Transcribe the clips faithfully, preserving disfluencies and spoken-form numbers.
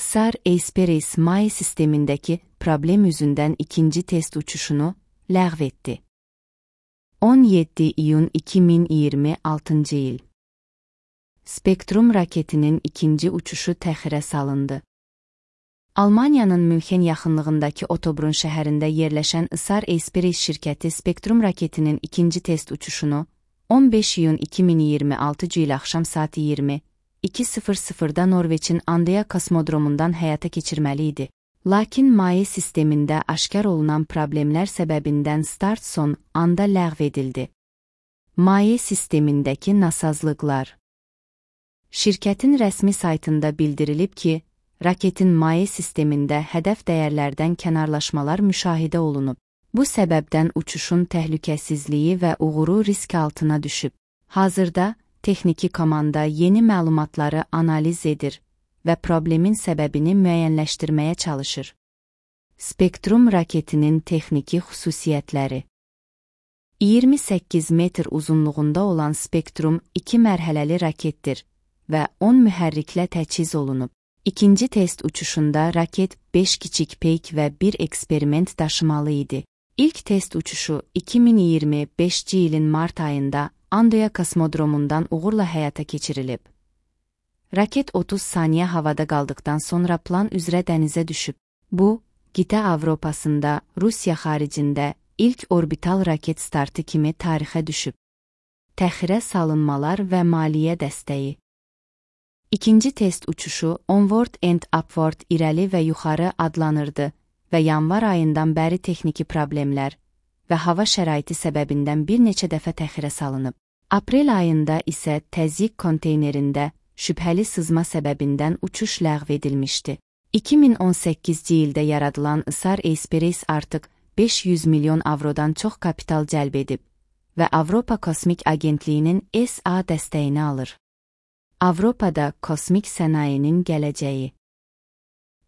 Xar Aerospace Maye sistemindeki problem yüzünden ikinci test uçuşunu ləğv etdi. on yeddi iyun iki min iyirmi altıncı il. Spektrum raketinin ikinci uçuşu təxirə salındı. Almaniyanın Münxen yaxınlığındakı Ottobrunn şəhərində yerləşən Xar Aerospace şirkəti Spektrum raketinin ikinci test uçuşunu on beş iyun iki min iyirmi altıncı il axşam saat iyirmi iki sıfır sıfırda Norveçin Andøya kosmodromundan həyata keçirməli idi. Lakin Maye sistemində aşkar olunan problemlər səbəbindən start son anda ləğv edildi. Maye sistemindəki nasazlıqlar. Şirkətin rəsmi saytında bildirilib ki, raketin maye sistemində hədəf dəyərlərdən kənarlaşmalar müşahidə olunub. Bu səbəbdən uçuşun təhlükəsizliyi və uğuru risk altına düşüb. Hazırda texniki komanda yeni məlumatları analiz edir və problemin səbəbini müəyyənləşdirməyə çalışır. Spektrum raketinin texniki xüsusiyyətləri. iyirmi səkkiz metr uzunluğunda olan Spektrum iki mərhələli raketdir və on mühərriklə təchiz olunub. İkinci test uçuşunda raket beş kiçik peyk və bir eksperiment daşımalı idi. İlk test uçuşu iki min iyirmi beşinci ilin mart ayında Andøya kosmodromundan uğurla həyata keçirilib. Raket otuz saniyə havada qaldıqdan sonra plan üzrə dənizə düşüb. Bu, qitə Avropasında, Rusiya xaricində ilk orbital raket startı kimi tarixə düşüb. Təxirə salınmalar və maliyyə dəstəyi. İkinci test uçuşu Onward and Upward irəli və yuxarı adlanırdı və yanvar ayından bəri texniki problemlər və hava şəraiti səbəbindən bir neçə dəfə təxirə salınıb. Aprel ayında isə təzyiq konteynerində şübhəli sızma səbəbindən uçuş ləğv edilmişdi. iki min on səkkizci ildə yaradılan Xar Aerospace artıq beş yüz milyon avrodan çox kapital cəlb edib və Avropa Kosmik Agentliyinin S A dəstəyini alır. Avropada kosmik sənayinin gələcəyi.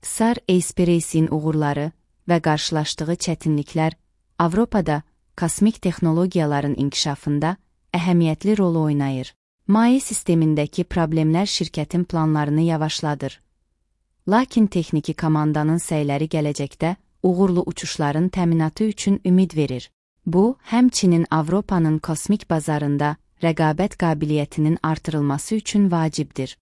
Xar Aerospace'in uğurları və qarşılaşdığı çətinliklər Avropada kosmik texnologiyaların inkişafında əhəmiyyətli rol oynayır. Maye sistemindəki problemlər şirkətin planlarını yavaşladır. Lakin texniki komandanın səyləri gələcəkdə uğurlu uçuşların təminatı üçün ümid verir. Bu, həmçinin Avropanın kosmik bazarında rəqabət qabiliyyətinin artırılması üçün vacibdir.